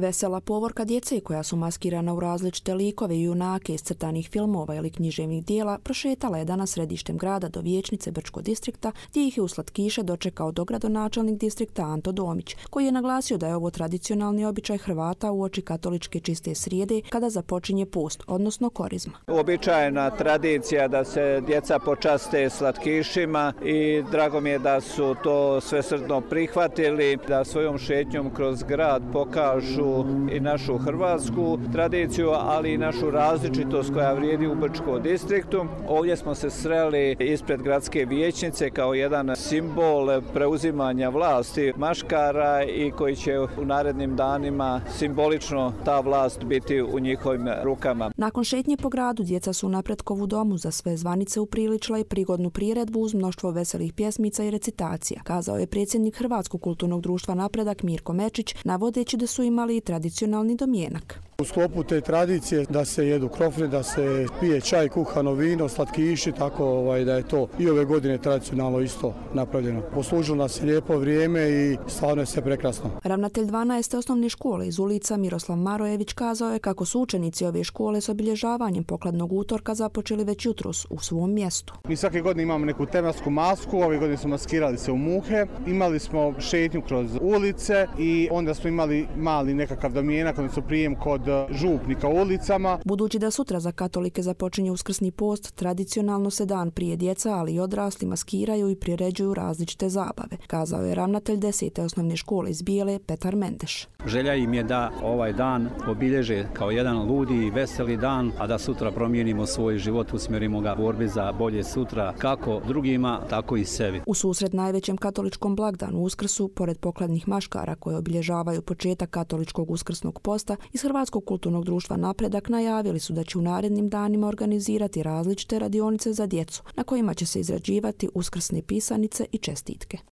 Vesela povorka djece koja su maskirana u različite likove i junake iz crtanih filmova ili književnih dijela prošetala je danas središtem grada do vijećnice Brčkog distrikta, gdje ih je u slatkiše dočekao dogradonačelnik distrikta Anto Domić, koji je naglasio da je ovo tradicionalni običaj Hrvata uoči katoličke čiste srijede kada započinje post, odnosno korizma. Uobičajena tradicija da se djeca počaste slatkišima i drago mi je da su to svesrdno prihvatili, da svojom šetnjom kroz grad pokažu i našu hrvatsku tradiciju, ali i našu različitost koja vrijedi u Brčkom distriktu. Ovdje smo se sreli ispred gradske vijećnice kao jedan simbol preuzimanja vlasti maškara i koji će u narednim danima simbolično ta vlast biti u njihovim rukama. Nakon šetnje po gradu djeca su u Napretkovu domu za sve zvanice upriličila i prigodnu priredbu uz mnoštvo veselih pjesmica i recitacija, kazao je predsjednik Hrvatskog kulturnog društva Napredak Mirko Mečić, navodeći da su imali i tradicionalni domjenak. U sklopu te tradicije da se jedu krofne, da se pije čaj, kuhano vino, slatkiši, tako da je to i ove godine tradicionalno isto napravljeno. Poslužilo nas je lijepo vrijeme i stvarno je sve prekrasno. Ravnatelj 12. osnovne škole iz Ulica Miroslav Marojević kazao je kako su učenici ove škole s obilježavanjem pokladnog utorka započeli već jutros u svom mjestu. Mi svake godine imamo neku tematsku masku, ove godine smo maskirali se u muhe, imali smo šetnju kroz ulice i onda smo imali mali nekakav domjenak, odnosno prijem kod župnika u ulicama. Budući da sutra za katolike započinje uskrsni post, tradicionalno se dan prije djeca, ali i odrasli maskiraju i priređuju različite zabave, kazao je ravnatelj 10. osnovne škole iz Bijele Petar Mendeš. Želja im je da ovaj dan obilježe kao jedan ludi i veseli dan, a da sutra promijenimo svoj život, usmjerimo ga u borbi za bolje sutra, kako drugima, tako i sebi. U susret najvećem katoličkom blagdanu Uskrsu, pored pokladnih maškara koje obilježavaju početak katoličkog uskrsnog posta, iz Hrvatskog kulturnog društva Napredak najavili su da će u narednim danima organizirati različite radionice za djecu, na kojima će se izrađivati uskrsne pisanice i čestitke.